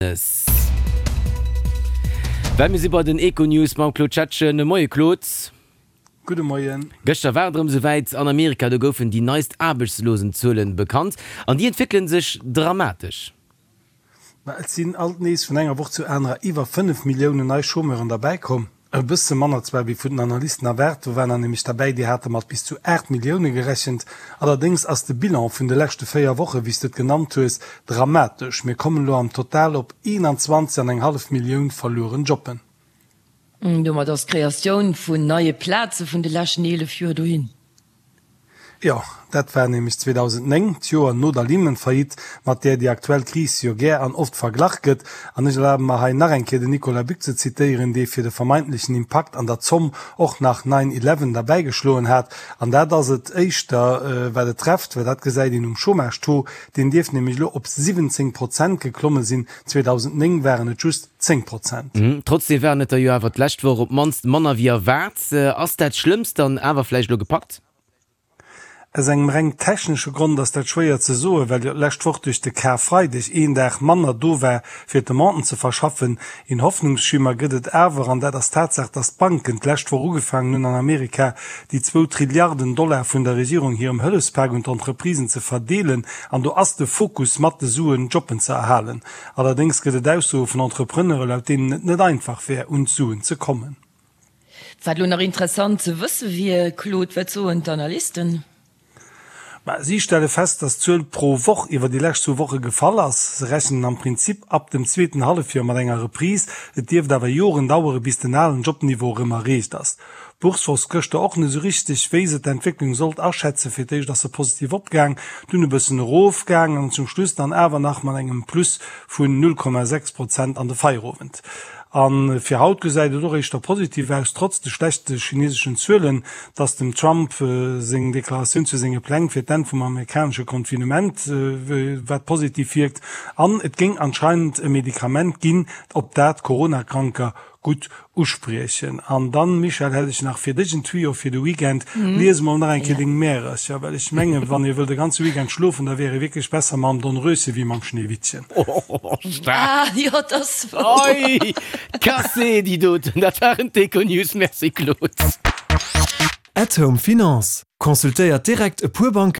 Well mir si bei den Econews mam Claude Schettgen. Moie Claude. Gudde Moien. Gëschter war et erëm esouwäit an Amerika, do goufen déi neist Aarbechtslosенzuelen bekannt an déi entwéckele sech dramatesch. Ma et sinn alt nees vun enger Woch zur anerer iwwer 5 Milliounen nei Chômeuren derbäi komm. E bësse manner zwar wéi vun den Analysten erwaart, do waren der nämlech derbäi, déi hate mat bis zu 8 Millioune gerechent. Allerdéngs ass de Bilan vun de leschte 4 Woche, wéi s de et genannt hues, dramatesch. Mir kommen elo am Total op 21 an eng hallef Millioun verlueren Jobben. Domat ass d'Kreatioun vun neie Plaze vun de leschten 11 Joer dohin. Jo, dat war nämlech 2009, d'Joer no der Lehman-Faillite, mat där déi aktuell Kris jo gär an oft verglach gëtt. An ech erlabe mer hei nach eng Kéier den Nicolas Buck ze zitéieren, dee fir de vermeintlechen Impakt an der Zomm och nach Nine Eleven derbäigeschloen hat. An dat ass et éischter, wat et trefft, well dat gesäit een um Chômage-Taux, deen dierft nämlech elo op 17 Prozent geklomme sinn, 2009 waren et just 10 Prozent. Trotzdeem waren et der jo awer d'lescht Woch op d'mannst manner wéi erwaart. Ass dat Schlëmmst dann awer vläicht elo gepackt? Aus engem reng technesche Grond ass dat schwéier ze soen, well jo d'lescht Woch duerch de Karfreideg een Dag manner do war, fir d'Demanden ze verschaffen. Een Hoffnungsschimmer gëtt et awer, an dat ass d'Tatsaach, datt d'Banken d'lescht Woch ugefaangen hunn, an Amerika déi zwou Trilliarden Dollar vun der Regierung hirem Hëllefspak un d'Entreprisen ze verdeelen. An do ass de Fokus mat de Suen, Jobben ze erhalen. Allerdéngs gëtt et Aussoe vun Entrepreneure, laut deenen et net einfach wär, un d'Suen ze kommen. Wat elo nach interessant ze wësse wier, Claude, wat soen d'Analysten? Ma si stelle fest, datt d'Zuel pro Woch iwwer déi lescht zwou Woche gefall ass. Se rechnen am Prinzip ab dem zweeten Hallefjoer mat enger Reprise. Et dierft awer Joren dauere bis den alen Jobniveau erëm erreecht ass. D'Bourse wosst gëschter och net esou richteg, wéi se d'Entwécklung sollt aschätzen. Fir d'éischt ass se positiv opgaang, dunn e bëssen erofgaang an zum Schluss dann awer nach mat engem Plus vun 0,6 Prozent an de Feierowend. A fir haut gesäit et och éischter positiv aus, trotz de schlechte chineseschen Zuelen, dass dem Trump seng Deklaratioun zu senge Pläng fir d'Enn vum amerikanesche Confinement, wat positiv wierkt, an et géing anscheinend e Medikament ginn, op dat Corona-Kranker gutt uspriechen. An dann, Michèle, hätt ech nach fir dech en Tuyau fir de Weekend. Lies emol nach eng Kéier deng Märercher, well ech mengen, wann ee wëllt e ganze Weekend schlofen, da wär ee wierklech besser mam Dornröschen wéi mam Schneewittchen. Oh, staark! Ah, jo, dat ass wouer. Oi, cassé déi doten! Dat waren d'Econews. Merci, Claude. At Home Finance, Consultéiert direkt e puer Banken.